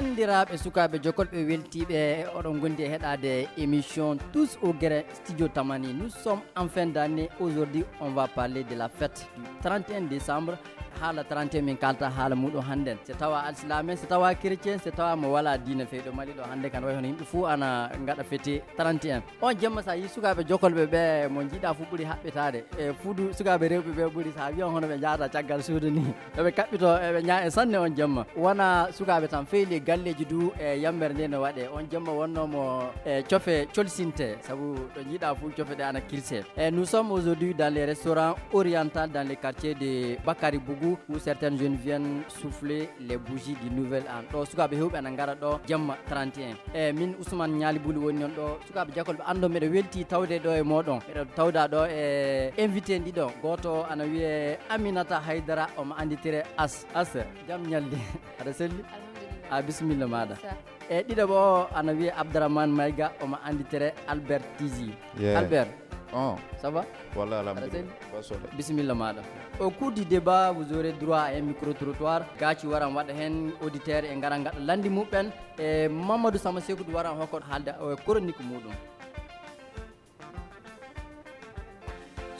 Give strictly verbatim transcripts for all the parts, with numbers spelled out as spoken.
Banndiraaɓe, sukaaɓe jokolɓe weltiiɓe, oɗon ngondi e heɗaade émission Tous au Grain, Studio Tamani. Nous sommes en fin d'année. Aujourd'hui, on va parler de la fête du trente et un décembre. Haala trente et un min kalta haala muɗum hannden. So tawa alsilaame, so tawa chrétien, so tawa mo wala diina feyɗo Mali ɗo hannde kan way hono yimɓe fuu ana ngaɗa fete trente et un. On jemma, so a yii sukaaɓe jokolɓe ɓe, mo njiɗa fuu ɓuri haɓɓitaade. E fuudu sukaaɓe rewɓe ɓe ɓuri, so a wiyan hono ɓe njaata caggal suudu ni. Eɓe kaɓɓito, eɓe ñaa e sanne on jemma. Wona sukaaɓe tan, feyli galleeji du e yambere nde no waɗe. On jemma wonno mo e cofe colsinte, sabu ɗo njiɗa fuu cofe ɗe ana kirse. E nous sommes aujourd'hui dans les restaurants orientaux dans les quartiers de Bakari Bougou, où certaines jeunes viennent souffler les bougies du nouvel an. Ɗo sukaaɓe hewɓe ana ngara ɗo jemma trente et un. E min Ousmane Ñaali Buli woni on ɗo. Sukaaɓe jakolɓe, anndo meɗo welti tawde ɗo e moɗon. Meɗo tawda ɗo e invité ɗiɗo. Gooto o ana wiyee Aminata Haydara, omo annditire As. As, jam ñalli. Aɗa selli? Alhamdulillah. A bisimilla maɗa. Sa- E ɗiɗo o ana wiyee Abdourahmane Mayga, omo annditire Albert Tizi. Yeah. Albert, Oh, ça va? Walla alhamdulillah. Aɗa selli? Ba sole. Bisimilla maɗa. Au cours du débat, vous aurez droit à un micro-trottoir. Gaaci waran waɗa heen auditeur e ngaran ngaɗa lanndi muɓɓen. E Mamadou Sama Sekou waran hokko haalde o e chronique muɗum.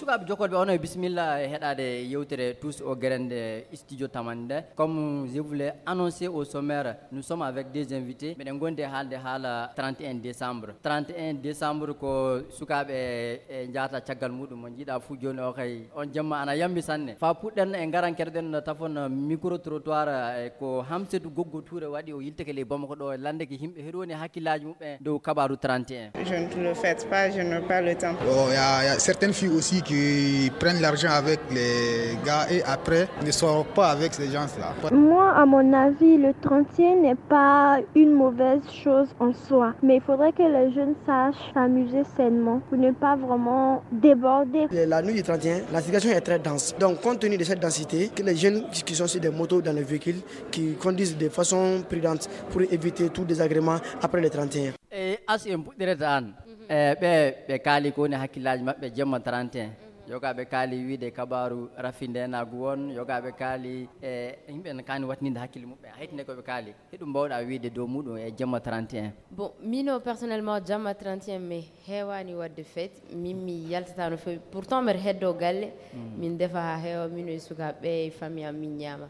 Sukaaɓe jokolɓe, onon e bisimilla e heɗaade yewtere Tous au Grain nde Studio Tamani nde. Comme je vous l'ai annoncé au sommaire, nous sommes avec des invités. Meɗen ngondi e haalde haala trente et un décembre. Trente et un décembre ko sukaaɓe e njaata caggal muɗum. Mo njiɗa fuu jooni o kay, on jemma ana yambi sanne. Fa puɗɗen e ngaran keɗoɗen tafon micro-trottoir, e ko Hamsetu Goggo Touré waɗi, o yiltake ley Bamako ɗo, lande ke yimɓe heɗo woni hakkillaaji muɓɓen dow kabaaru trente et un. Je ne le fête pas, je n'ai pas le temps. Oh, il y a, il y a certaines filles aussi qui prennent l'argent avec les gars et après ne sortent pas avec ces gens-là. Moi, à mon avis, le trente et un n'est pas une mauvaise chose en soi, mais il faudrait que les jeunes sachent s'amuser sainement pour ne pas vraiment déborder. La nuit du trente et un, la situation est très dense. Donc, compte tenu de cette densité, que les jeunes qui sont sur des motos dans les véhicules, qui conduisent de façon prudente pour éviter tout désagrément après le trente et un. E As, en puɗɗirata aan. E ɓe, ɓe kaali ko woni hakkillaaji maɓɓe jemma trente et un. Yogaaɓe kaali wiide kabaaru rafi ndeenaagu won, yogaaɓe kaali e yimɓe ne kaani waɗtinde hakkille muɓɓen. Haytinde ko ɓe kaali. Hiɗum mbaawɗa wiide dow muɗum e jemma trente et un? Bon, mino personnellement, jemma trente et un mi heewaani waɗde fête. Min mi yaltata no feewi. Pourtant, mbeɗa heddoo galle. Min ndefa haa heewa, mino e sukaaɓe e famille am, min ñaama.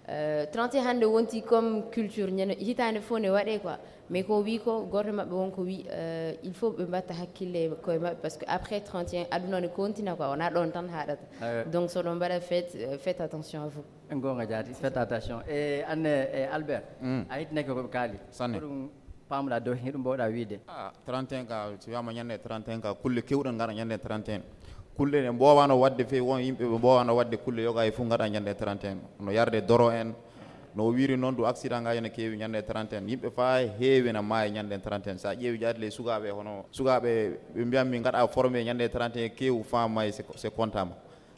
Euh, trente et un hannde wonti comme culture, ñande, hitaande fof ne waɗee quoi. Mais ko wi ko, gooto e maɓɓe won ko wi, euh, il faut ɓe mbatta hakkille e koye maɓɓe, parce que après trente et un, aduna ne continue quoi, wona ɗon tan haɗata. Ah ouais. Donc, so ɗon mbaɗa fête, euh, faites attention à vous. Goonga jaati, faites attention. E anne, e Albert, a hittinake ko ɓe kaali. Sanne. Ko ɗum paamɗa dow, hiɗum mbaawɗa wiide? Ah, trente et un ka, so wiyama ñande trente et un ka, kulle kewɗe ngara ñande trente et un. Kulle ɗe mboowano waɗde feewi, won yimɓe ɓe mboowano waɗde kulle yoga e fof ngaɗa ñande trente et un. No yarde doro en, no o wiiri noon, du accident ngaji ne keewi ñande trente et un. Yimɓe fa heewi na maayi ñande trente et un. Sa ƴeewi jaati ley sukaaɓe, hono sukaaɓe ɓe mbiyan min ngaɗa formé ñande trente et un, keewi fa maayi, c'est, c'est comptable.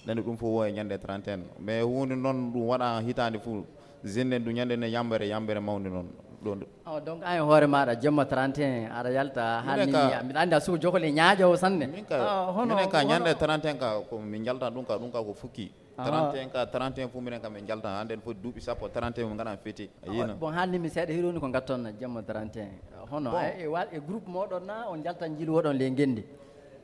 Nani ɗum fof wo e ñande trente et un. Mais huunde noon ɗum waɗa hitaande fof. Jeune en ɗum ñande ne yambere, yambere mawnde noon. Ɗon ɗo. Oh, donc an e hoore maɗa jemma trente et un aɗa yalta hannde ka, mbiɗa anndi a suko jokole ñaaƴa o sanne. Min ka, ah, hono, minen ka hono ñande trente et un ka ko min jalta ɗum ka, ɗum ka ko fukki. Ah. Trente et un ka, trente et un fof minen ka min jalta. Hannde ne foti duuɓi sappo, trente et un min ngaɗan fête. A yiina. Bon, haalni mi seeɗa hiɗoni ko ngatton jemma trente et un. Hono, bon. E, e wa-, e groupe moɗon na on jalta njiilu woɗon le ngendi?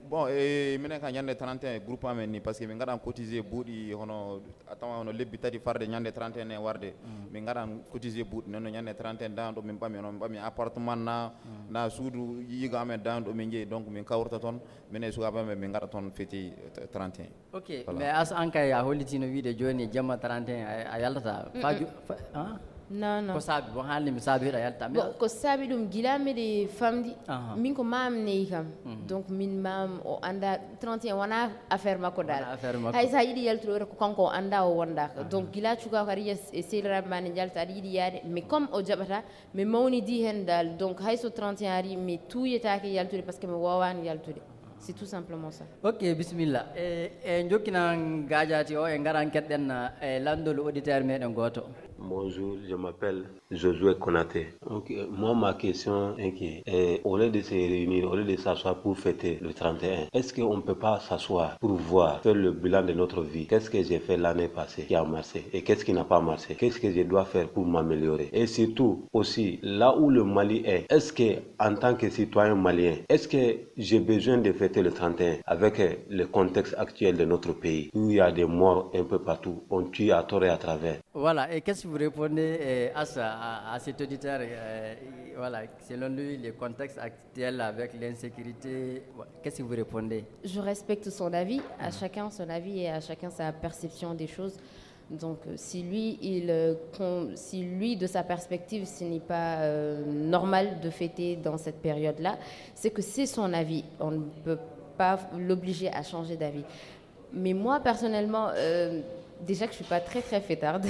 Bon, e minen ka ñande trente et un groupe amen ni, parce que min ngaɗan cotisé buuɗi hono, a tawa hono lebbi tati farde ñande trente et un e warde. Min ngaɗan cotisé buuɗi, noon no ñande trente et un dan ɗo min ɓami, onon ɓami appartement na, na suudu yiyigo amen dan ɗo min jeeyi, donc min kawrata toon, minen e sukaaɓe amen min ngaɗa toon fête trente et un. Ok, voilà. Mais as an kay a hollitino wiide jooni jemma trente et un a, a yaltata. Fa ju-, fa, ah? Non, non. Ko saabi, bon, haalni mi saabi hiɗa yalta. Bon, ko saabi ɗum gila miɗi famdi. Aha. Min ko maam neyi kam. Donc min maam o annda trente et un wona affaire makko dal. Wona affaire makko. Hay sa yiɗi yaltude o ko kanko o annda o wondaka. Aha. Donc gila cuka ko aɗa yiya e sehliraɓe ma ne jalta aɗa yiɗi yaade. Mais comme o jaɓata, mi mawnidi hen dal. Donc hay so trente et un ari mi tuuyetake yaltude parce que mi wowani yaltude. C'est tout simplement ça. Ok, bisimilla. E, e jokkinan gaajaati o, e ngaran keɗɗen, e, lanndol auditeur meɗen gooto. Bonjour, je m'appelle Josué Konaté. Ok, moi, ma question est que, euh, au lieu de se réunir, au lieu de s'asseoir pour fêter le trente et un, est-ce qu'on ne peut pas s'asseoir pour voir, faire le bilan de notre vie? Qu'est-ce que j'ai fait l'année passée qui a marché et qu'est-ce qui n'a pas marché? Qu'est-ce que je dois faire pour m'améliorer? Et surtout, aussi, là où le Mali est, est-ce que, en tant que citoyen malien, est-ce que j'ai besoin de fêter le trente et un avec, euh, le contexte actuel de notre pays, où il y a des morts un peu partout, on tue à tort et à travers? Voilà, et qu'est-ce que vous répondez, euh, à, ça, à, à cet auditeur, euh, voilà, selon lui, le contexte actuel avec l'insécurité, qu'est-ce que vous répondez? Je respecte son avis, à chacun son avis et à chacun sa perception des choses. Donc, euh, si lui, il, euh, con- si lui, de sa perspective, ce n'est pas euh, normal de fêter dans cette période-là, c'est que c'est son avis. On ne peut pas l'obliger à changer d'avis. Mais moi, personnellement, euh, déjà que je suis pas très, très fêtarde,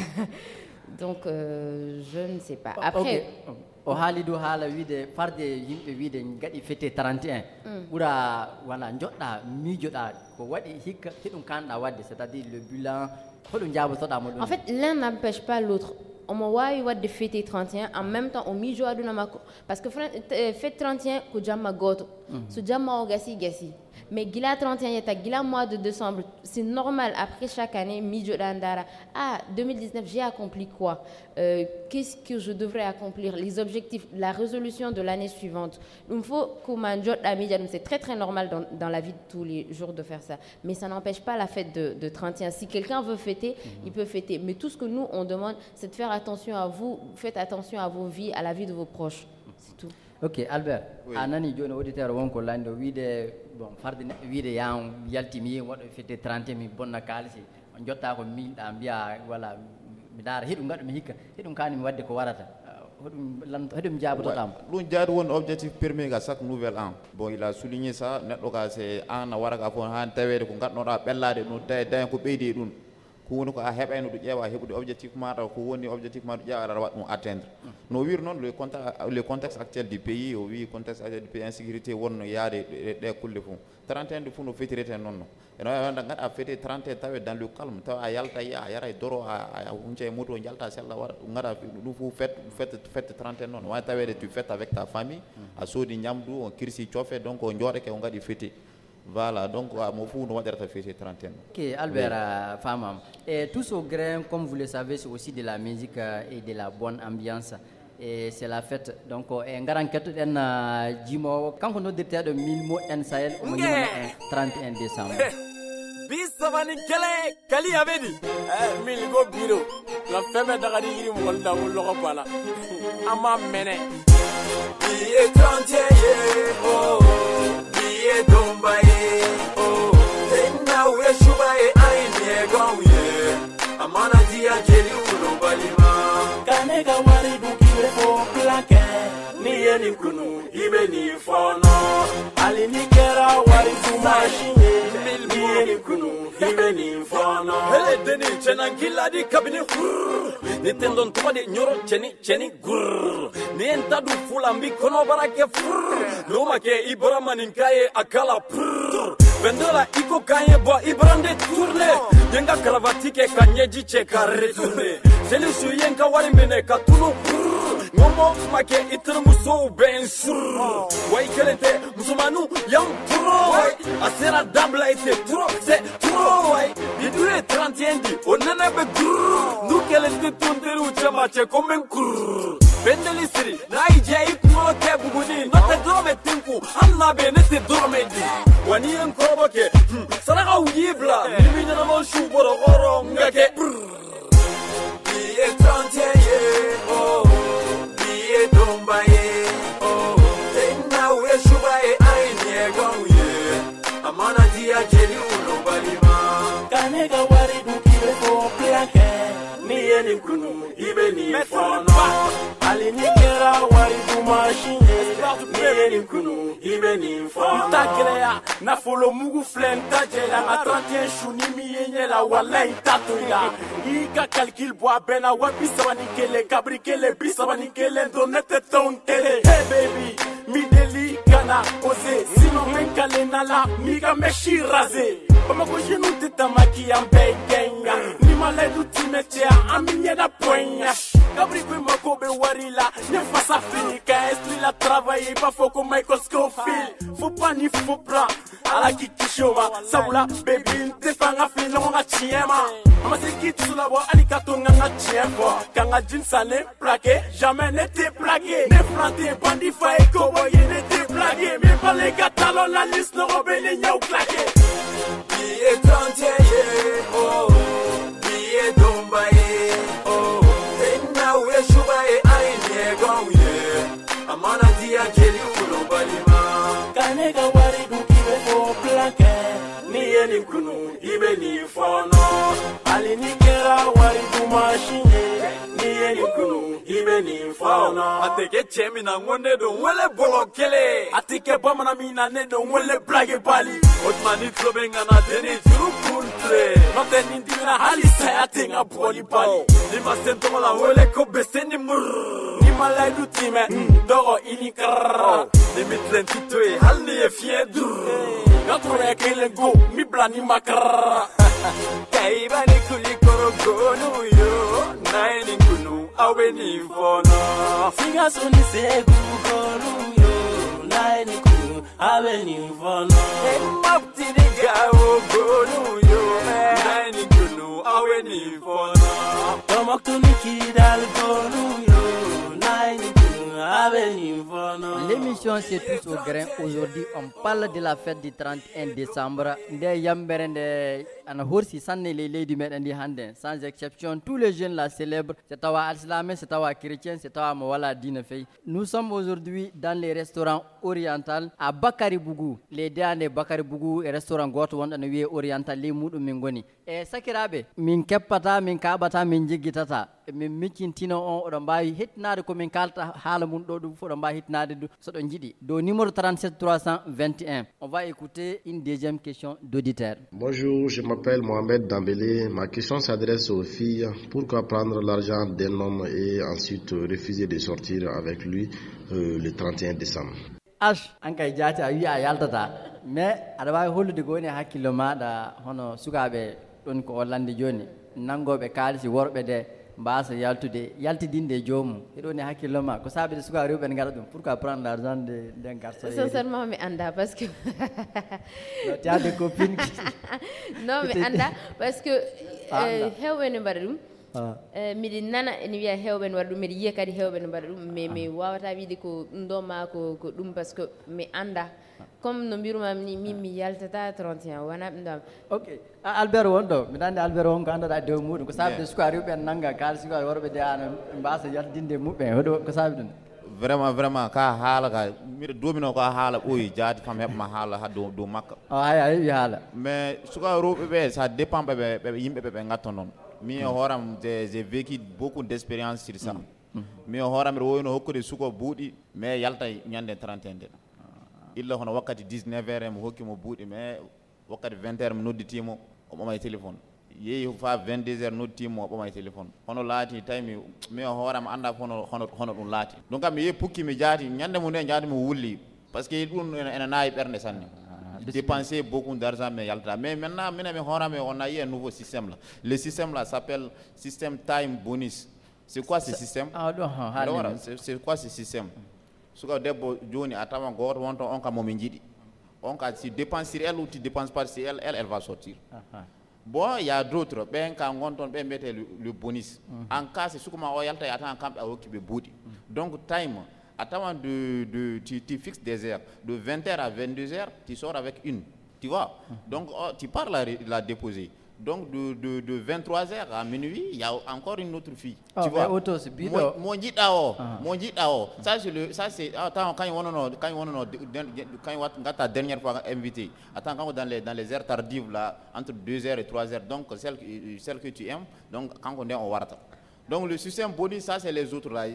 donc euh, je ne sais pas. Après, Ok. O haali du haala wiide farde yimɓe wiide gaɗi fête trente et un, ɓura wala joɗɗa miijoɗa ko waɗi hikka, hiɗum kanɗa wadde, c'est-à-dire le bilan, hoɗum jaabotoɗa mo ɗum? En fait, l'un n'empêche pas l'autre. Omo waawi waɗde fête trente et un en même temps o miijo aduna makko, parce que fran- euh, fête trente et un ko jamma gooto. So jamma o gasi, gasi. Mais gila trente et un yetta, gila mois de décembre, c'est normal. Après chaque année, miijoɗa, ndaara, ah, deux mille dix-neuf, j'ai accompli quoi? Euh, qu'est-ce que je devrais accomplir? Les objectifs, la résolution de l'année suivante. Ɗum fof ko ma joɗɗa miija ɗum, c'est très, très normal dans, dans la vie de tous les jours de faire ça. Mais ça n'empêche pas la fête de, de trente et un. Si quelqu'un veut fêter, il peut fêter. Mais tout ce que nous, on demande, c'est de faire attention à vous. Faites attention à vos vies, à la vie de vos proches. C'est tout. Ok, Albert, a nani joni auditeur wonko lanndo wiide, bon, farde neɗɗo wiide yan yalti mi waɗo fête trente et un, mi bonna kaalisi. On jotta ko miijoɗa, mbiya wala mi ndaara hiɗum gaɗumi hikka, hiɗum kani mi wadde ko warata. Hoɗum lan- hoɗum jaabotoɗamo? Ɗum jaari woni objectif premier ga chaque nouvel an. Bon, il a souligné ça, neɗɗo ka se an a wara ka fof han taweede ko gaɗnoɗa ɓellaade ɗum, tawi daña ko ɓeydi e ɗum. Ko woni ko a heɓayno ɗum ƴeewa heɓude objectif maɗa, ko woni objectif maɗa ƴeewa aɗa waɗa ɗum atteindre. No wiiri noon, le conte- le contexte actuel du pays, o wi contexte actuel du pays, insécurité wonno yaade e ɗe kulle fof. Trente et un de fof no fetirete noon no. Eno wonda gaɗa fête trente et un tawe dans le calme, tawa a yalta yiya, a yara e doro, a hunca e moto, jalta sella, waɗa ɗum gaɗa ɗum fof fête, fête, fête trente et un noon. Wawi taweede tu fête avec ta famille, a soodi ñamdu, on kirsi coofe, donc o jooɗake o gaɗi fête. Voilà, donc a mo fof no waɗirata fête trente et un. Ok, Albert, euh, famam. Et tous au grain, comme vous le savez, c'est aussi de la musique euh, et de la bonne ambiance. Et c'est la fête. Donc, euh, e ngaran kettoɗen euh, jimowo, kanko noddirteɗo Milmo en Sahel, omo ñaama en trente et un décembre. Bisabani kele kali abedi. Eh, mil go biro. La femme dagadi iri mo wala mo logo bala. Ama mene. Biye trente et un, oh. Biye domba, eh, oh. Enna we shuba, eh, ai, mi e gaw, yeah. Amana dia jeli ulo balima. Kane ga wari du kibe fo plake. Ni yeni kunu, ibe ni fono. Ali ni kera wari du machine. Ni yeni kunu, ibe ni fono. Hele deni chena giladi kabini. Ni tendon tuma de nyoro cheni, cheni. Grrr. Ni en tadu fula mbi kono barake frrr. No make Ibrahima nin kaye akala prrr. Vendola iko kaye bo Ibrahima de tourne. Yenga cravate ke kanyeji che ka retourne. Seli su yenga wari mene ka tulu prrr. Ngomo make itir muso ben surr. Wai kelente musumanu yang pro. Wai asera dabla ite pro. Se Trowai, bidure trente et un di, o nana be grrr. Nu kele te tonderi u chama che komen grrr. Bendeli siri, na ije i kumo ke buguni, no te drome tinku, am na be ne te drome di. Wani en kobo ke, hmm, saraka u yibla, ni mi na mo shu boro oro nga ke brrr. Biye trente et un, oh, biye domba, eh, oh. Tenna we shuba, eh, ai, ni e gaw, yeah. Amana dia jeli ulo balima. Kane ga wari du kibe fo plake. Ni yeni kunu, ibe ni fono. Ali ni kera wari du machine. Ni yeni kunu, ibe ni fono. Takeleya, na folo mugu flen tajela. A trente et un shuni mi yenyela, wala intatoila. I ka calcul bɔ a bɛɛ na wa bi saba ni kelen, kabiri kelen, bi saba ni kelen, don ne tɛ tɔn kelen. Hey baby, mi deli kana oser, sinon n bɛ n kale na la, mi ka mèche raser. Bamakɔ jeunes tɛ tamaki, an bɛɛ ye gɛn ya. Ni Allez, nous t'y mettre à un millier de points. Kabri kui mako be warila, ne fasa fini, ka esprit la travailler, pas faux comme Michael Scofield. Faut pas ni faut prendre. Ala kiki shoma, sabula, baby, te fanga fini, no nga chiema. Ama se ki tsula wa, ali katonga nga chiema. Kanga jin sane, plaqué, jamais n'était plaqué. Ne planté, bandit, faille, cowboy, n'était plaqué. Mais pas les gars, talons, la liste, no, robin, les nyau claqué. Billet trente et un, oh, billet dombaye, oh. Enna we shubaye, ai, ne gong, yeah. Amana dia jeli ulo balima. Kane ka wari du kibe fo planke. Ni yeni kunu, ibe ni fono. Ali ni kera wari du machine. Ni yeni kunu, ibe ni fono. Ateke chemi na ngonde do wele bolo kele. Atike bamana mina ne do wele blage bali. Otmani klobe ngana deni juru kuntre. Note ni dimina hali saya tenga boli bali. Ni ma sento la wele ko beseni mur. Ni ma lai du time. Dogo ini kar. Ni mitlen titoe hal ni e fien dur. Gatro ya kelen go. Mi bla ni makar. Kaiba ni kuli koro gonu yo. Nai ni kunu awe ni fono. Singa suni segu gonu yo. Nai ni kunu awe ni fono. Mapti ni gawo gonu yo. Nai ni kunu awe ni fono. Tomok tuni kidal gonu yo. Nai ni kunu awe ni fono. L'émission c'est tous au grain. Aujourd'hui, on parle de la fête du trente et un décembre. Nde yambere nde ana horsi sanne ley leydi meɗen ndi hannde. Sans exception, tous les jeunes la célèbrent. So tawa alsilaame, so tawa chrétien, so tawa mo wala diina fey. Nous sommes aujourd'hui dans les restaurants oriental à Bakary Bougou. Les deux année Bakary Bougou e restaurant goto wonɗo no wiye oriental, ley muɗum min ngoni. E sakiraaɓe, min keppata, min kaɓata, min jiggitata. Min miccintino on, oɗon mbaawi hettinaade ko min kaalta haala mum ɗo, ɗum fof oɗon mbaawi hettinaade ɗum so ɗon njiɗi. Dow numéro trente-sept trois cent vingt et un. On va écouter une deuxième question d'auditeur. Bonjour, je m'appelle Mohamed Dambélé. Ma question s'adresse aux filles. Pourquoi prendre l'argent d'un homme et ensuite refuser de sortir avec lui, euh, le trente et un décembre? Ash, an kay jaati a wiya a yaltata, mais aɗa waawi hollude ko woni e hakkillo maaɗa, hono sukaaɓe ɗon ko o lanndi jooni, nanngooɓe kaalisi worɓe de mbaasa yaltude, yaltidinde e joomum. Hiɗo woni e hakkillo ma, ko saabi de sukaaɓe rewɓe ne ngaɗa ɗum? Pourquoi prendre l'argent de, d'un garçon et... Sincèrement, mi annda parce que... Non, tu as des copines qui... Non, mi annda parce que, a annda, eh, heewɓe ne mbaɗa ɗum. Ah. Eh, miɗi nana ene wiya heewɓe ne waɗa ɗum, miɗa yiya kadi heewɓe ne mbaɗa ɗum, mais mi wawata wiide ko ɗum ɗo ma ko, ko ɗum, parce que mi annda. Comme no mbirumam ni, min mi yaltata trente et un, wona ɗum ɗo. Ok. A, Albert won ɗo, miɗa anndi Albert won ko annduɗa e dow muɗum, ko saabi de suka rewɓe en nannga kaalisi ko worɓe de ana mbaasa yaltinde e muɓɓen, hoɗo ko saabi ɗum? Vraiment, vraiment, ka haala ka, miɗo domino ko a haala ɓooyi, jaati fam heɓma haala ha dow, dow makka. O, hay a heɓi haala. Mais suka rewɓe ɓe, ça dépend ɓe, ɓe, ɓe, yimɓe ɓe, ɓe ngatto noon. Mi e hooram, j'ai, j'ai vécu beaucoup d'expérience sur ça. Mi e hooram, mbiɗo wowino hokkude suko buuɗi, mais yalta ñande trente et un nden. Illa hono wakkati dix-neuf heures, mi hokki mo buuɗi, mais wakkati vingt heures, mi nodditii mo, o ɓamay téléphone. Yehi fa vingt-deux heures, nodditii mo, o ɓamay téléphone. Hono laati, tawi mi, mi e hooram annda hono, hono, hono ɗum laati. Donc, mi yehi pukki, mi jaati, ñande mum nde jaati mo wulli. Parce que ɗum ene, ene naawi ɓernde sanne. Ah, dépenser beaucoup d'argent, mais yalta. Mais maintenant, minen mi hooram, on a eu un nouveau système là. Le système là s'appelle système time bonus. C'est quoi ce système? Ah, ɗo, ha, haalni min. C'est, c'est quoi ce système? Suka debbo jooni a tawan gooto wonto on kam mo min njiɗi. On ka, tu dépenses sur elle ou tu dépenses pas sur elle, elle, elle va sortir. Aha. Bon, il y a d'autres. Ɓen ka ngon toon, ɓen mbiyetee le, le bonus. Mhm. En cas, si suka ma o yalta, a tawan kamɓe a hokki ɓe buuɗi. Mhm. Donc, time, a tawan de, de, tu, tu fixes des heures. De vingt heures à vingt-deux heures, tu sors avec une. Tu vois? Mhm. Donc, oh, tu pars la, la déposer. Donc, de, de, de vingt-trois heures à minuit, il y a encore une autre fille. Ah, tu vois? Mais auto, c'est bidon. Mo, mo jiɗɗa o, ah, mo jiɗɗa o. Ça, c'est le, ça, c'est, ah, attends, quand il y a, non, non, quand il y a, non, non, de, de, de, quand il y a, quand ta dernière fois invité, attends, quand dans les, dans les heures tardives, là, entre deux heures et trois heures, donc, celle, que- celle que tu aimes, donc, quand on est, on warata. Donc, le système bonus, ça, c'est les autres, là.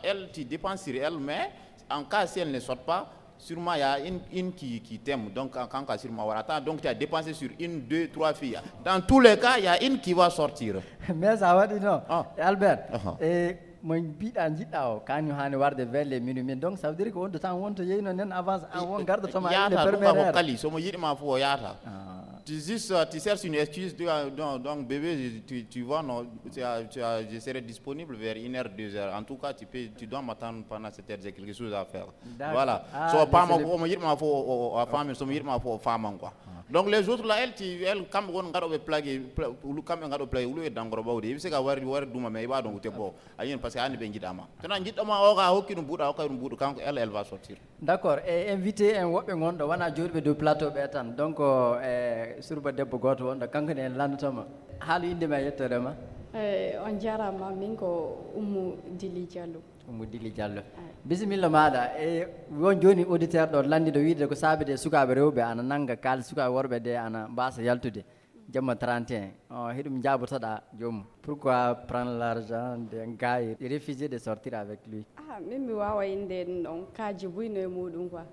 Elle, tu dépenses sur elle, mais en cas, si elle ne sort pas, sûrement, il y a une, une qui, qui t'aime. Donc, quand, quand, sûrement, voilà. Attends, donc, tu as dépensé sur une, deux, trois filles. Dans tous les cas, il y a une qui va sortir. Mais ça va dire non. Ah. Albert, ah, eh, mo mbiɗa jiɗɗa o, kañum haani warde vers les minuit. Mais donc, ça veut dire que on de temps, on to yeyno nen avance, an won garɗo to ma yaata, ɗum ka ko kali. So mo yiɗi ma fof o yaata. Ah. Tu, juste, euh, tu cherches une excuse, tu as, donc, donc, bébé, tu, tu vois, non, tu as, tu as, je serai disponible vers une heure, deux heures. En tout cas, tu peux, tu dois m'attendre pendant cette heure, j'ai quelque chose à faire. D'accord. Voilà. Ah, so, mais pama c'est le ko omo yiɗma fo o, o, a faami, somo yiɗma fo o faaman quoi. Donc les autres là, elle, tu, elle, kamɓe won gaɗoɓe plaqué, pla-, ulu-, kamɓe gaɗo plaqué ulu e dangoro ɓawde, eɓe sika wari, wari duma mais iɓa ɗon ute bo. A yiyan, parce que andi ɓe jiɗama, tena jiɗɗoma o ka hokki ɗum buuɗa, hokka ɗum buuɗa, kanko elle, elle va sortir. D'accord. E invité en woɓɓe gonɗo wona jooɗiɓe dow plateau ɓe tan, donc e surba debbo goto wonɗo kanko ne en landotoma. Haala inde ma e yettoode ma. Eh, on jarama, min ko Ummu Dili Diallo. Ummu Dili Diallo. Bisimilla maɗa. E won joni auditeur ɗo landiɗo wiide ko saabide sukaɓe rewɓe ana nanga kaalis, sukaɓe worɓe de ana mbasa yaltude jamma trente et un. O, hiɗum jabotoɗa joomum. Pourquoi prendre l'argent de gars et refuser de sortir avec lui? Ah, min mi wawa inde en ɗon kaaji buyno e muɗum quoi.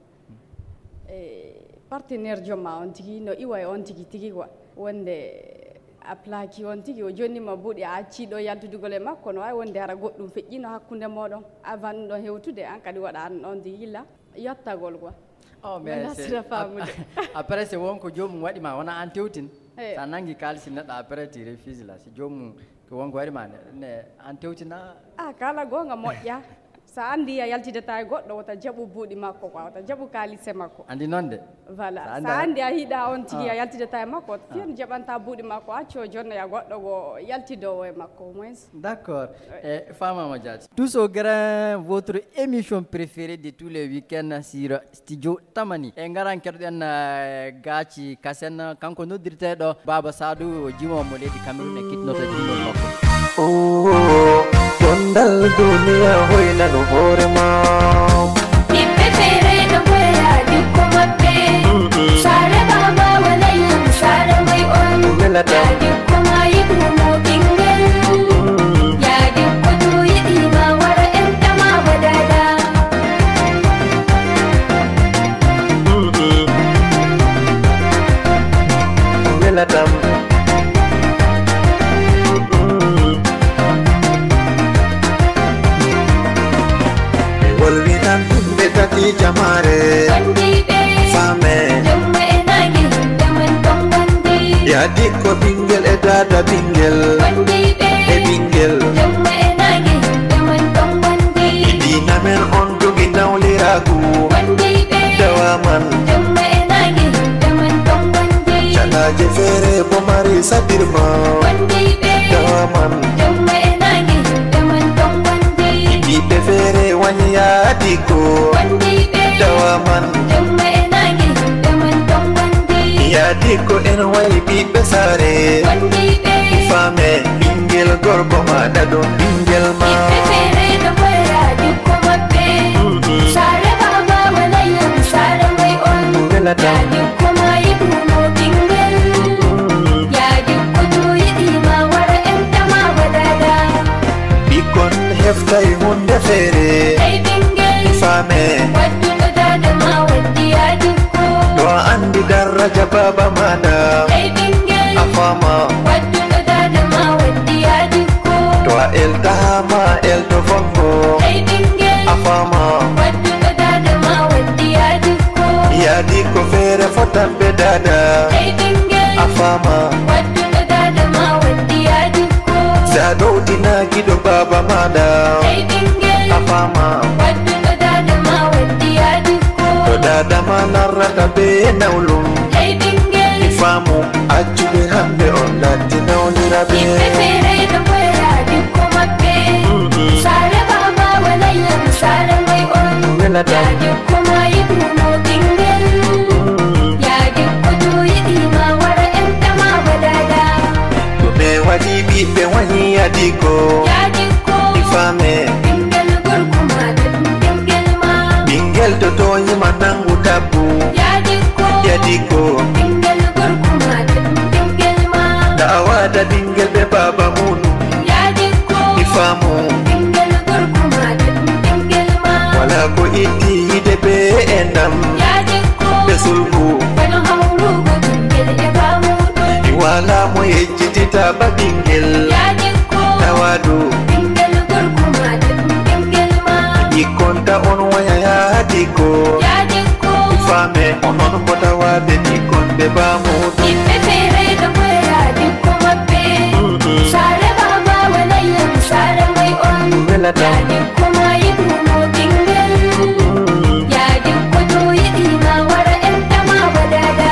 E partenaire joom ma on tigi no iwa e on tigi tigi quoi. Wonde a plaki on tigi, o jonnima buuɗi, a acci ɗo yaltudugol e makko, no wawi wonde hara goɗɗum feƴƴino hakkunde moɗon avant ɗum ɗon hewtude, an kadi waɗa an ɗon tigi yilla yottagol quoi. Oh, mais c'est, sira famude. Après c'est wonko joomum waɗi ma, wona an tewtin. Sa nangi kalisi neɗɗo après tu refuses là, si joomum ko wonko waɗi ma ne, ne an tewtina. Ah, kala gonga moƴƴa. Sa andi a yaltidata e goɗɗo, wota jaɓu buuɗi makko quoi, wota jaɓu kalise makko. Andi noon de. Voilà. Sa andi a hiɗa on tigi, a yaltidata e makko, wota fiyan jaɓanta buuɗi makko, acco jonnoya goɗɗo go yaltidowo e makko au moins. D'accord. E famama jaati. Tous au grain, votre émission préférée de tous les week-ends sur Studio Tamani. E ngaran keɗoɗen, eh, Gaaci Kasen, kanko noddirteɗo Baba Sadou, o jimowo mo leydi Cameroun e kiɗnoto jimol makko. Oh, gondal duniya hoynano hoore ma. Yimɓe feere no koya jikko maɓɓe. Saare baba walay saare moy on. Welata. Jikko ma yiɗumo ɓingel. Yaadi ko to yiɗi ma wara en tama wadada. Welatam. Ɓe wolwinan yimɓe tati jamaare. Fame. Jomma e naange, himɓe man ton wonde. Yaadi ko ɓingel e dada ɓingel. E ɓingel. Jomma e naange, himɓe man ton wonde. Diina men on jogi nawliraagu. Dawa man. Jomma e naange, himɓe man ton wonde. Calaaje feere bo mari sadirma. Dawa man. Jomma e naange, himɓe man ton wonde. Ɓiɓɓe feere wani yaadi ko. Dawa man. Jomma e naange, himɓe man ton wonde. Yaadi ko en wayi ɓiɓɓe saare. Fame, ɓingel gorko ma ɗaɗo ɓingel ma. Ɓiɓɓe feere no koya jikko maɓɓe. Saare baba walay saare moy on. Welata. Yaadi ko ma yiɗumo ɓingel. Yaadi ko to yiɗi ma wara en tama wadada. Ɓikkon heftay hunde feere. Hey ɓingel. Fame. Wadduɗo dada ma waddi yaadi ko. To a andi daraja baba maɗa. Hey ɓingel. A fama. Wadduɗo dada ma waddi yaadi ko. To a eltaama elto fongo. Hey ɓingel. A fama. Wadduɗo dada ma waddi yaadi ko. Yaadi ko feere fotan be dada. Hey ɓingel. A fama. Wadduɗo dada ma waddi yaadi ko. Sa ɗowdina giɗo baba maɗa. Hey ɓingel. A fama. Wadduɗo dada ma waddi yaadi ko. To dada ma narrata be nawlum. Hey ɓingel. I faamu. Accuɓe hamɓe on latti nawniraɓe. Yimɓe feere no koya jikko maɓɓe. Saare baba walay saare moy on. Welata. Yaadi ko ma yiɗumo ɓingel. Yaadi ko to yiɗi ma wara en tama wadada. Ɗume waɗi ɓiɓɓe wani yaadi ko. Yaadi ko. I fame. Ɓingel gorko ma ɗum ɓingel ma. Ɓingel to toyima nangu tabbu. Yaadi ko. Yaadi ko. Ɓingel gorko ma ɗum ɓingel ma. Tawa da ɓingel be baba munu. Yaadi ko. I faamu. Ɓingel gorko ma ɗum ɓingel ma. Wala ko itti yide be endam. Yaadi ko. Be sulku. Kono hawrugo ɓingel e baamuɗo. I wala mo yejjitita ba ɓingel. Yaadi ko. Tawa do. Ɓingel gorko ma ɗum ɓingel ma. Ɓikkon ta on waya yaadi ko. Yaadi ko. I fame onon ko tawaɓe ɓikkon be baamuɗo. Yimɓe Yadin kuma yi dumo tingin. Yadin kwato yi dima wara yan tama wadada.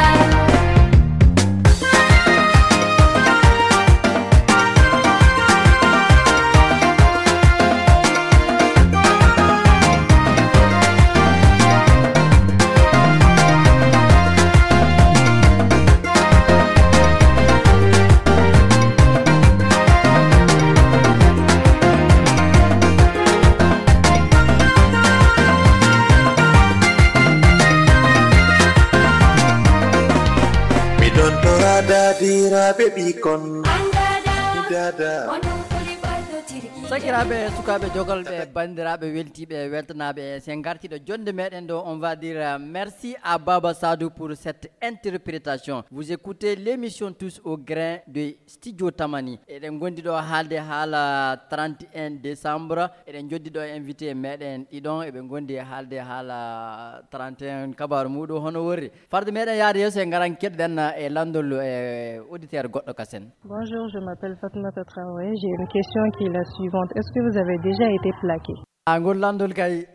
Miɗon tora dadiraaɓe ɓikkon. Dada. Sakiraaɓe, sukaaɓe, jogalɓe, banndiraaɓe, weltiiɓe, weltanaaɓe, sen ngartiiɗo jonnde meɗen ɗo, on va dire, euh, merci à Baba Sadou pour cette interprétation. Vous écoutez l'émission Tous au grain de Studio Tamani. Eɗen ngondi ɗo haalde haala trente et un décembre. Eɗen joddi ɗo invité meɗen ɗiɗon. Eɓe ngondi haalde haala trente et un, kabaru muɗum hono worri. Farde meɗen yaade yeeso, en ngaran keɗɗen e lanndol e auditeur goɗɗo kasen. Bonjour, je m'appelle Fatmata Traoré. J'ai une question qui est la suivante. Est-ce que vous avez déjà été plaqué? Ah, ngol lanndol kay.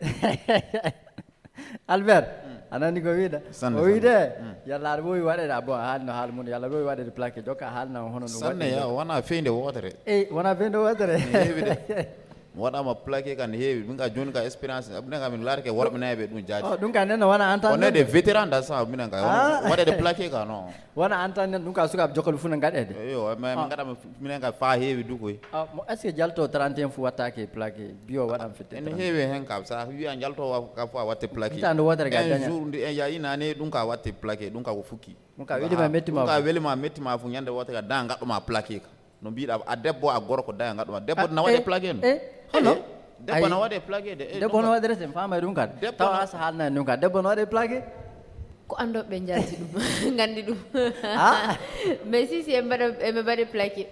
Albert, a nani ko wiɗa? Sanne, o wiɗe, sanne. Yalla aɗa wowi waɗede, ah, bon, a haalino haala mum, yalla aɗa wowi waɗede plaqué, jokka haalna hono no sanne waɗi ya, ɗo. Wona feynde wootere. Ey, wona feynde wootere. Ne heewi de. Mi waɗama plaqué kan heewi. Min ka joni ka expérience, minen ka min laarike worɓe nayi ɓe ɗum jaati. Oh, ɗum ka nen wona entente. On est des vétérans dans ça, minen ka. Ah. Waɗede plaqué ka, non. Wona entente, ɗum ka sukaaɓe jokkol fof no ngaɗede. Eyo, mais min ngaɗama minen ka fa heewi du koy. Ah, mo, est-ce que jalto trente et un fof wattake plaqué? Bio waɗan fitte ene trente. Heewi hen ka, sa wiya jalto wa-, ka fa watte plaqué. Hitande wootere ga un daña. Jour ndi en yayi nane ɗum ka watte plaqué, ɗum ka ko fukki. Ɗum ka weli ma, metti ma ɗum ka fof. Weli ma, metti ma fof, ñande wootere ga da ngaɗɗo ma plaqué ka. No mbiɗa, a debbo, a gorko, da ngaɗɗo ma. Debbo. Ah, na waɗe eh, plaqué no? Eh, hono? Eh, debbo. Ay. Na waɗe plaqué de. Eh, debbo ɗum no ka waɗirete, mi faamay ɗum kadi. Debbo. Tawa no asa haalna en ɗum kadi. Debbo no waɗe plaqué? Ko annduɓe njalti ɗum, nganndi ɗum. Ah. Mais si, si, eɓe mbaɗa, eɓe mbaɗe plaqué.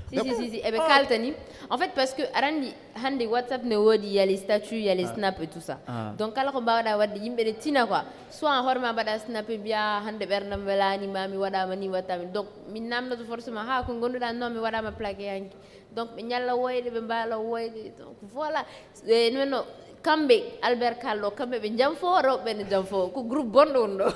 Si, si, debbo. Si, si, eɓe. Oh. Kaltani. En fait, parce que aɗa anndi hannde WhatsApp ne woodi, yali statut, yali. Ah. Snap et tout ça. Ah. Donc, kala ko mbaawɗa waɗde, yimɓe ne tina quoi. Soit hoore ma mbaɗa snap, mbiya hannde ɓerndam welaani ma, mi waɗaama ni, waɗaama ni. Donc, min namdoto forcément, haa ko ngonduɗa, non, mi waɗaama plaqué hanki. Donc, ɓe ñalla woyde, ɓe mbaala woyde. Donc, voilà. E, non, non. Kamɓe, Albert Kallo, kamɓe ɓe jamfo, rewɓe ne jamfo. Ko groupe bonɗo woni ɗo.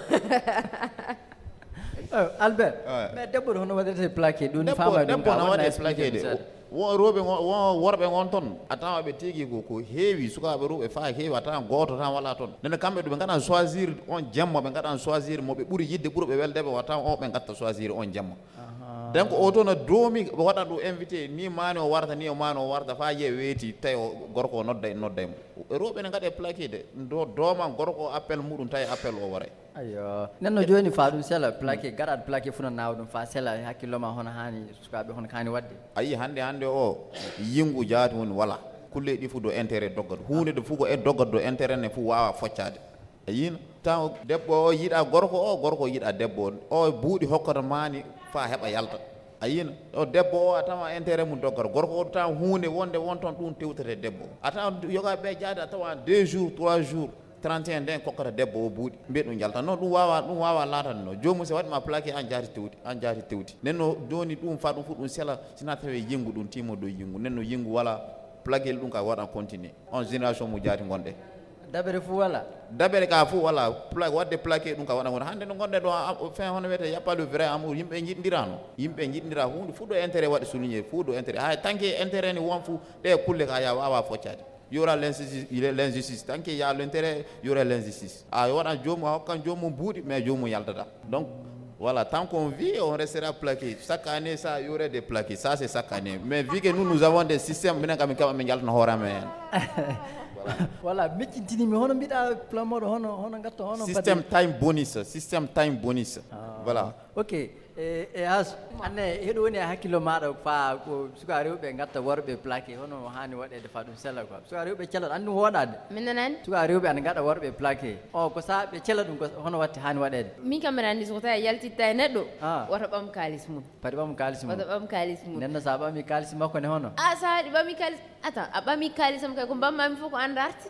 Eh, Albert, ouais. Mais debbo ɗo hono waɗirete plaqué? Ɗum debbo, faama ɗum debbo ka, no waɗa waɗe plaqué de. Seeɗa. Wo rewɓe ngo-, wo worɓe ngon toon, a tawa ɓe tigi ko, ko heewi, sukaaɓe rewɓe fa heewi, a tawa gooto tan wala toon. Nene kamɓe ɗum ɓe ngaɗa choisir on jemma, ɓe ngaɗa choisir mo ɓe ɓuri yidde, ɓuri ɓe welde ɓe, wata o ɓe ngatta choisir on jemma. Aha. Donc, o toon o doomi, o waɗa ɗum invité, ni maani o warta, ni o maani o warta, fa yiye weeti, tawi o gorko o nodda, nodda mo. Rewɓe ne ngaɗe plaqué de, do, dooma gorko o appel muɗum, tawi appel o waray. Ayo. Nenno jooni fa ɗum sela plaqué, garat plaqué fu no naawa ɗum fa sela, hakkillo ma hono haani, sukaaɓe hono haani waɗde? A yii hannde, hannde o, yingu jaati woni wala. Kulle ɗi fu do intérêt doggat. Huunde ɗo fu ko e doggat do intérêt ne fu waawa foccaade. A yiina, taw debbo o yiɗa gorko o, gorko o yiɗa debbo o. O buuɗi hokkata maani fa heɓa yalta. A yiina, o debbo o a tawa intérêt mum doggat. Gorko o tawa huunde wonde won toon ɗum tewtete debbo o. A tawa yoga ɓe jaade a tawa deux jours, trois jours, trente et un nden kokkata debbo o buuɗi. Mbiya ɗum yalta. Non, ɗum waawa, ɗum waawa laatande no. Joomum so waɗi ma plaqué an jaati tewti, an jaati tewti. Nden no jooni ɗum fa ɗum fu ɗum sela, sina tawi yingu ɗum timo dow yingu. Nden no yingu wala plaqué ɗum ka waɗa continuer. On génération mo jaati ngonɗe. Dabere fu wala? Dabere ka fu wala, pla-, waɗde plaqué ɗum ka waɗa ngonɗe. Hannde no ngonɗe ɗo, a-, a-, fin hono wiyete, y a pas le vrai amour. Yimɓe njiɗndirano. Yimɓe njiɗndira huunde fu ɗo intérêt waɗi souligné, fu ɗo intérêt. Hay tant que intérêt ni won fu, ɗe kulle ka ya waawa foccaade. Y aura l'injustice, il est l'injustice. Tant qu'il y a l'intérêt, y aura l'injustice. A waɗan joomum, a hokkan joomum buuɗi, mais joomum yaltata. Donc, voilà, tant qu'on vit, on restera plaqué. Chaque année, ça, y aura des plaqués. Ça, c'est chaque année. Mais vu que nous, nous avons des systèmes, minen kam, min keɓa min jaltana hoore amen. Voilà, miccintini mi hono mbiɗa plan moɗo hono, hono ngatto hono système time bonus, système time bonus. Ah. Voilà. Ok. E, e has, anne, heɗo woni e hakkillo maɗa fa ko suka rewɓe gatta worɓe plaqué, hono haani waɗede fa ɗum sella quoi? Suka rewɓe cela, andu hoɗade. Min nanani? Suka rewɓe ana gaɗa worɓe plaqué. O, ko sa ɓe cela ɗum, ko hono watte haani waɗede? Min kam mbiɗa anndi so tawi a yaltitta e neɗɗo, ah, woto ɓam kaalis mum. Padi ɓam kaalis mum. Woto ɓam kaalis mum. Nenno sa ɓami kaalis makko ne hono? Ah, sa waɗi ɓami kaalis, attends, a ɓami kaalisam kay ko mbammami fof ko an darti.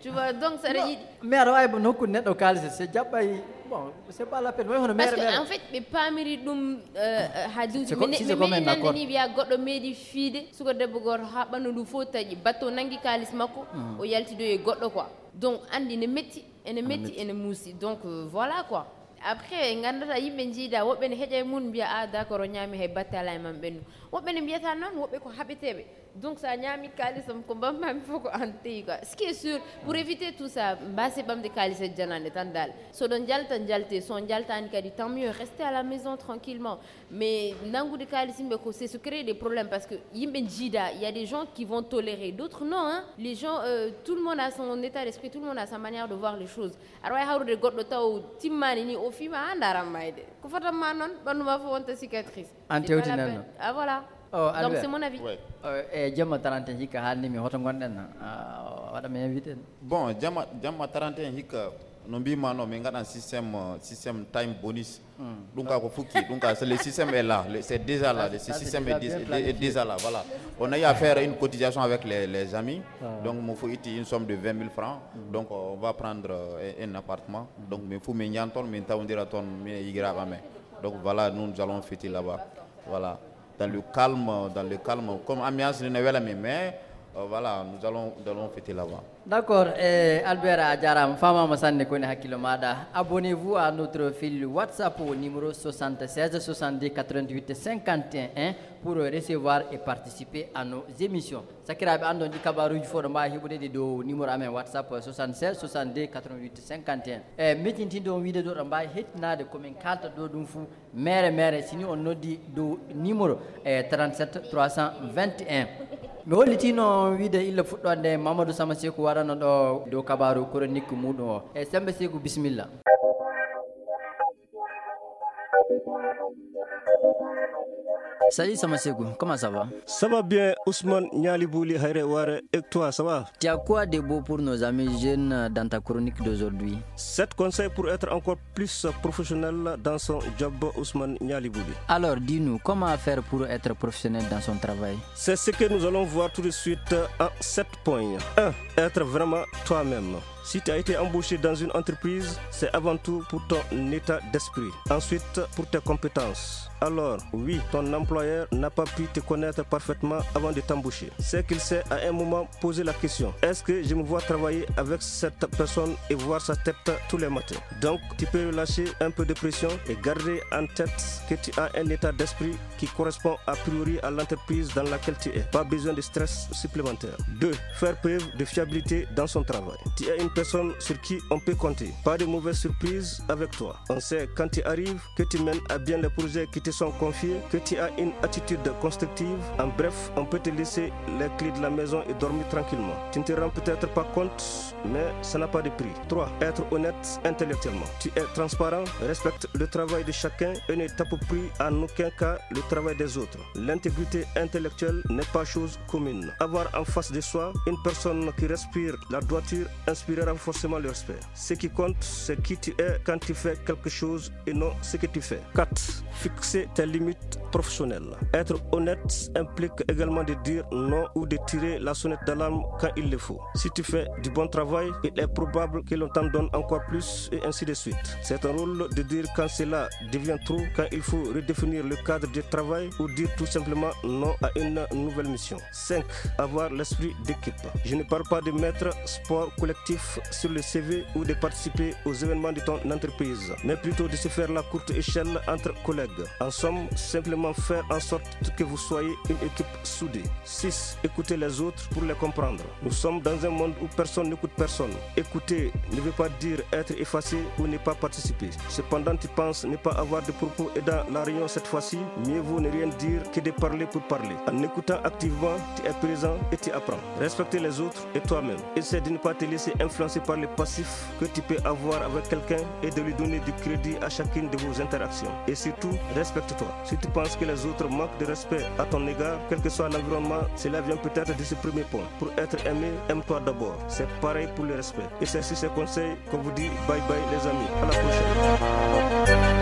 Tu vois, donc saɗa yiɗi. Mais aɗa wawi nokku neɗɗo kaalis, se jaɓɓay Bon, c'est pas la peine. Parce que en fait, ɓe paamiri ɗum, euh, euh, ha duuji. Mais, mais nani wiya goɗɗo meeɗi fiide suka debbo goto ha ɓandu ndu fof taƴi, bateau nangi kaalis makko, o yalti ɗo e goɗɗo quoi. Donc andi ne metti, ene metti, ene muusi. Donc, euh, voilà quoi. Après, gandata yimɓe jiida, woɓɓe ne heƴa e mun mbiya, ah, d'accord, o ñaami hay batte ala e man ɓennu. Woɓɓe ne mbiyata noon, woɓɓe ko haɓeteɓe. Donc, sa ñaami kaalisam, ko mbammami fof ko an teyi quoi. Ce qui est sûr, pour éviter tout ça, mbase ɓamde kaalis e janande tan dal. So ɗon jalta, jalte. So on jaltani kadi, tant mieux. Restez à la maison tranquillement. Mais nangude kaalis yimɓe ko, c'est se créer des problèmes parce que yimɓe jiida, il y a des gens qui vont tolérer, d'autres non, hein. Les gens, euh, tout le monde a son état d'esprit, tout le monde a sa manière de voir les choses. Aɗa wawi hawrude goɗɗo taw timmani ni, o fiima ha ndaran mayde. Ko fotan ma noon, ɓandu ma fof wonta cicatrice. An tewtinan noon. Ah, voilà. Oh, donc, c'est mon avis. Ouais. Euh, e jamma trente et un hikka haalni mi hoto gonɗen, ah, waɗa mi invité. Bon, jamma, jamma trente et un hikka, no mbima no, min gaɗan système, euh, système time bonus. Ɗum ka ko fukki, ɗum ka, c'est le système est là, le- c'est déjà là, le système est, dé- est déjà là, voilà. On a eu à faire une cotisation avec les, les amis. Donc, il faut une somme de vingt mille francs. Donc, on va prendre, euh, un appartement. Donc, mais faut min ñaan toon, min tawdira toon, min e yigiraaɓe amen. Donc, voilà, nous, nous allons fêter là-bas. Voilà. Dans le calme, dans le calme. Comme ambiance, ne wela mi, mais, euh, voilà, nous allons, nous allons fêter là-bas. D'accord, eh, Albert, a jarama, famama sanne, koni hakkillo maɗa. Abonnez-vous à notre fil WhatsApp au numéro soixante-seize soixante-deux quatre-vingt-huit cinquante et un pour recevoir et participer à nos émissions. Sakiraɓe, andon ɗi kabaruji fof ɗo mbawi heɓude ɗi dow numéro amen WhatsApp soixante-seize soixante-deux quatre-vingt-huit cinquante et un. E mettintinɗo on wiide ɗo ɗo mbawi hettinade komin kalta ɗo ɗum fou. Mere, mere, sini on noddi dow numéro, eh, trente-sept trois cent vingt et un. Mi hollitino wiide illa fuɗɗonde Mamadou Sama Seku warano ɗo dow kabaru chronique muɗum o. E Sembe Seku, bisimilla. Salut Sama Seku, comment ça va? Ça va bien, Ousmane Niali Bouli, Haïré Waré, et toi, ça va? Tu as quoi de beau pour nos amis jeunes dans ta chronique d'aujourd'hui? Sept conseils pour être encore plus professionnel dans son job, Ousmane Niali Bouli. Alors, dis-nous, comment faire pour être professionnel dans son travail? C'est ce que nous allons voir tout de suite en sept points. Un, être vraiment toi-même. Si tu as été embauché dans une entreprise, c'est avant tout pour ton état d'esprit. Ensuite, pour tes compétences. Alors, oui, ton employeur n'a pas pu te connaître parfaitement avant de t'embaucher. C'est qu'il s'est à un moment posé la question, est-ce que je me vois travailler avec cette personne et voir sa tête tous les matins? Donc, tu peux relâcher un peu de pression et garder en tête que tu as un état d'esprit qui correspond a priori à l'entreprise dans laquelle tu es. Pas besoin de stress supplémentaire. Deux, faire preuve de fiabilité dans son travail. Tu es une personne sur qui on peut compter. Pas de mauvaises surprises avec toi. On sait quand tu arrives que tu mènes à bien les projets qui te sont confiés, que tu as une attitude constructive. En bref, on peut te laisser les clés de la maison et dormir tranquillement. Tu ne te rends peut-être pas compte, mais ça n'a pas de prix. Trois, être honnête intellectuellement. Tu es transparent, respecte le travail de chacun et ne t'approprie en aucun cas le travail des autres. L'intégrité intellectuelle n'est pas chose commune. Avoir en face de soi une personne qui respire la droiture inspirera forcément le respect. Ce qui compte, c'est qui tu es quand tu fais quelque chose et non ce que tu fais. Quatre, fixer tes limites professionnelles. Être honnête implique également de dire non ou de tirer la sonnette d'alarme quand il le faut. Si tu fais du bon travail, il est probable que l'on t'en donne encore plus et ainsi de suite. C'est un rôle de dire quand cela devient trop, quand il faut redéfinir le cadre de travail ou dire tout simplement non à une nouvelle mission. Cinq, avoir l'esprit d'équipe. Je ne parle pas de mettre sport collectif sur le C V ou de participer aux événements de ton entreprise, mais plutôt de se faire la courte échelle entre collègues. En somme, simplement faire en sorte que vous soyez une équipe soudée. Six, écouter les autres pour les comprendre. Nous sommes dans un monde où personne n'écoute personne. Écouter ne veut pas dire être effacé ou ne pas participer. Cependant, tu penses ne pas avoir de propos aidants à la réunion cette fois-ci, mieux vaut ne rien dire que de parler pour parler. En écoutant activement, tu es présent et tu apprends. Respecter les autres et toi-même. Essaie de ne pas te laisser influencer par le passif que tu peux avoir avec quelqu'un et de lui donner du crédit à chacune de vos interactions. Et surtout, respecte-toi. Si tu penses que les autres manquent de respect à ton égard, quel que soit l'environnement, cela vient peut-être de ce premier point. Pour être aimé, aime-toi d'abord. C'est pareil pour le respect. Et c'est sur ces conseils qu'on vous dit bye bye les amis. À la prochaine.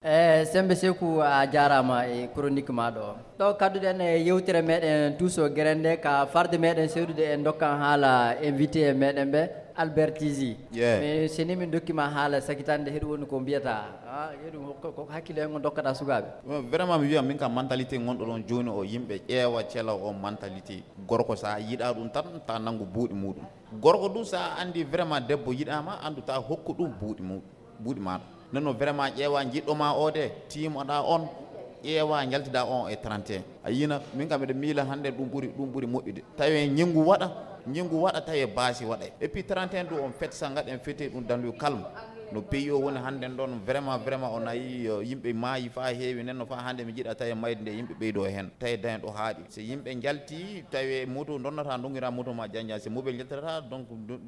E Sembe Seku, a jarama e chronique ma ɗo. Ɗo kadduɗen e yewtere meɗen Tuuso Gere nde ka farde meɗen seeɗude e dokkan haala invité meɗen ɓe. Albert Tizi. Yeah. Mais seni min dokkima haala sakitande heɗu woni ko mbiyata. Ah, heɗu ko, ko hakkille hen on dokkata sukaɓe. Vraiment mi wiya min ka mentalité gonɗo ɗon joni o, yimɓe ƴeewa cela o mentalité. Gorko sa yiɗa ɗum tan ta nanngu buuɗi muɗum. Gorko ɗum sa andi vraiment debbo yiɗama, andu ta hokku ɗum buuɗi muɗum, buuɗi maɗa. Nenno vraiment ƴeewa jiɗɗo ma o de, timoɗa on, ƴeewa jaltida on e trente et un. A yina min kam miɗo miila hande ɗum ɓuri, ɗum ɓuri moƴƴude. Tawi ñingu waɗa, ñingu waɗa tawi baasi waɗa. Et puis trente et un du on fête sa gaɗen fête ɗum dans le calme. No pays o woni hande ɗon vraiment, vraiment on a yi, euh, yimɓe maayi fa heewi nenno fa hande mi jiɗa tawi mayde nde yimɓe ɓeydo hen. Tawi daña ɗo haaɗi. So yimɓe jalti tawi moto donnata, dongira moto ma janjan. So mobile jaltata, donc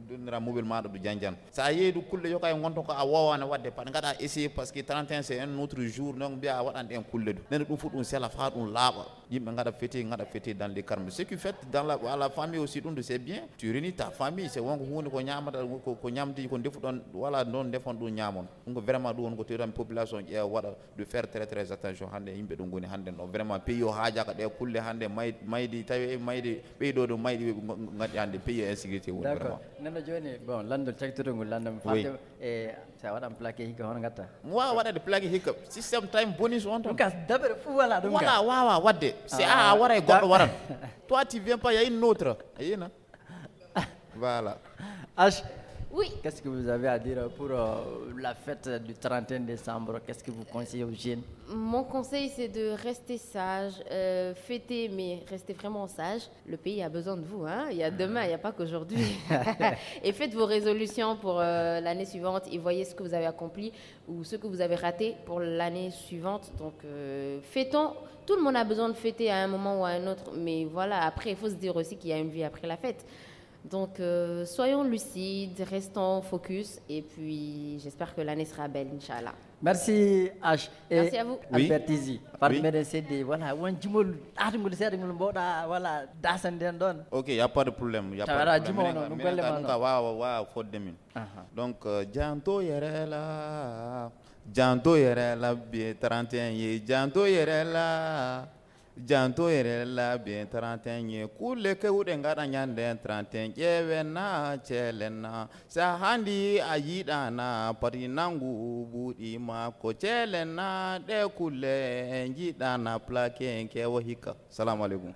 donnira mobile maɗa du janjan. Sa yeeyi du kulle yoka e gonto ko a wowano wadde pat gaɗa essayé parce que trente et un c'est un autre jour, donc mbiya a waɗan ɗen kulle du. Nene ɗum fof ɗum sela fa ɗum laaɓa. Yimɓe gaɗa fêter, gaɗa fêter dans les calmes. Ce qui fait dans la, à la famille aussi ɗum du c'est bien. Tu réunis ta famille, c'est wonko hunde ko ñamata, ko, ko ñamdi, ko defuɗon, wala ɗon defon ɗum ñamon. Ɗum ko vraiment ɗum woni ko tewtan population ƴeewa waɗa de faire très, très attention. Hande yimɓe ɗum goni hande no vraiment pays o haajaka ɗe kulle hande may-, maydi tawi maydi ɓeydo ɗum maydi gaɗi hande pays o insécurité woni D'accord. Vraiment. Nana joni, bon, landol cagtotol ngol landam Oui. Fatou, e sa waɗan plaqué hikka hono gatta. Mi wawa waɗade plaqué hikka système time bonus on tan. Ɗum ka dabere fof wala ɗum Wala ka. Wawa wadde. Si Ah, a waray goɗɗo da- waran. Toi tu viens pas, y a une autre. A yina. Voilà. H, Oui. Qu'est-ce que vous avez à dire pour euh, la fête du trente et un décembre? Qu'est-ce que vous conseillez aux jeunes? Mon conseil, c'est de rester sage, euh, fêter, mais rester vraiment sage. Le pays a besoin de vous, hein. Il y a demain, il n'y a pas qu'aujourd'hui. Et faites vos résolutions pour euh, l'année suivante et voyez ce que vous avez accompli ou ce que vous avez raté pour l'année suivante. Donc, euh, fêtons. Tout le monde a besoin de fêter à un moment ou à un autre. Mais voilà, après, il faut se dire aussi qu'il y a une vie après la fête. Donc, euh, soyons lucides, restons focus et puis j'espère que l'année sera belle, Inch'Allah. Merci H. Et Merci à vous. Oui. Albert Tizi. Par Oui. meɗen sedde, voilà, won jimol ɗaatagol seeɗagol mbawɗa, voilà, dasande en ɗon. Ok, y a pas de problème. Y a Tawa pas de ala problème. jimo Minen no, ka- no minen golle ka ma ɗum no. Ka wawa wawa fodde min. Aha. Donc euh, janto yerela, janto yerela bien trente et un ye, janto yerela. Janto yerela bien trente et un ye, kulle kewɗe gaɗa ñande trente et un, ƴeewen na ceelen na. Sa handi a yiɗana pati nangu buuɗi makko, ceelen na ɗe kulle jiɗana plaqué en kewo hikka. Salamu aleykum.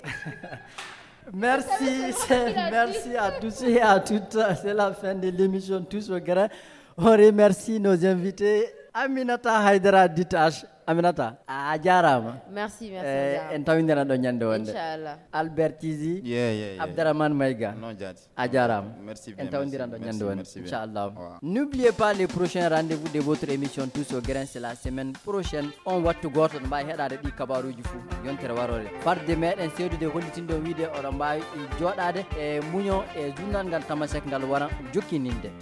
Merci, c'est- merci à tous et à toutes. C'est la fin de l'émission Tous au grain. On remercie nos invités. Aminata Haydara dit H. Aminata, a jarama. Merci, merci. Eh, Adam. En tawidira ɗo ñande wonde. Inch'Allah. Albert Tizi, Yeah, yeah, yeah. Abdourahmane Mayga. Non, jaati. A jarama. Merci En bien. tawdiran ɗo Merci, ñande wonde. merci bien. Inchallah. Au revoir. N'oubliez pas les prochains rendez-vous de votre émission Tous au grain, c'est la semaine prochaine. On wattu goto no mbawi heɗade ɗi kabaruji fou. Yontere warore. Fadde meɗen sewdude hollitinɗo wiide oɗon mbawi joɗade e muño e journal ngal tamasek ngal wara jokkininde.